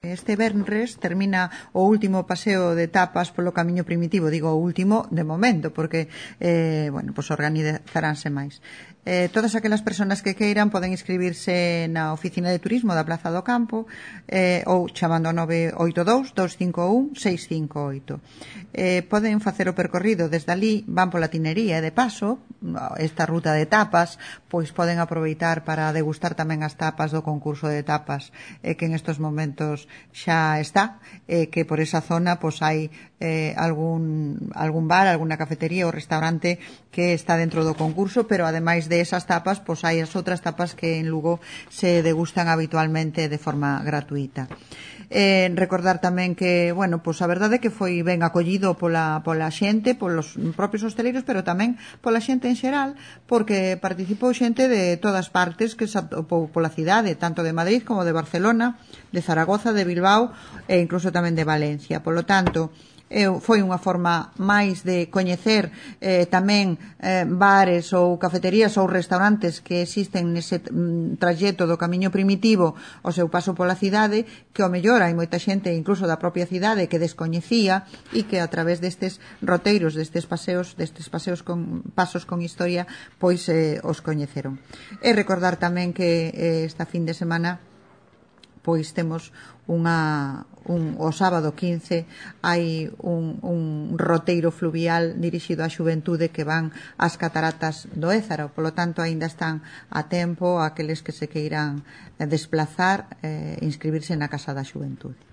Este venres termina o último paseo de tapas polo camiño primitivo, digo o último de momento, porque organizaránse máis. Todas aquelas persoas que queiran poden inscribirse na oficina de turismo da Plaza do Campo ou chamando ao 982-251-658. Poden facer o percorrido desde ali, van pola tinería e de paso, esta ruta de tapas, pois poden aproveitar para degustar tamén as tapas do concurso de tapas que en estos momentos xa está, que por esa zona pois hai algún bar, alguna cafetería ou restaurante que está dentro do concurso, pero ademais de esas tapas pois hai as outras tapas que en Lugo se degustan habitualmente de forma gratuita. Recordar tamén que, pois a verdade é que foi ben acollido pola xente, polos propios hosteleiros, pero tamén pola xente en xeral, porque participou xente de todas partes que se atopou pola cidade, tanto de Madrid como de Barcelona, de Zaragoza, de Bilbao e incluso tamén de Valencia. Polo tanto, foi unha forma máis de coñecer tamén bares ou cafeterías ou restaurantes que existen nese traxecto do camiño primitivo ao seu paso pola cidade, que ao mellor hai moita xente incluso da propia cidade que descoñecía e que a través destes roteiros, destes paseos con pasos con historia, pois os coñeceron. E recordar tamén que esta fin de semana pois temos o sábado 15 hai un roteiro fluvial dirixido á xuventude que van ás cataratas do Ézaro, polo tanto aínda están a tempo aqueles que se queiran desplazar inscribirse na Casa da Xuventude.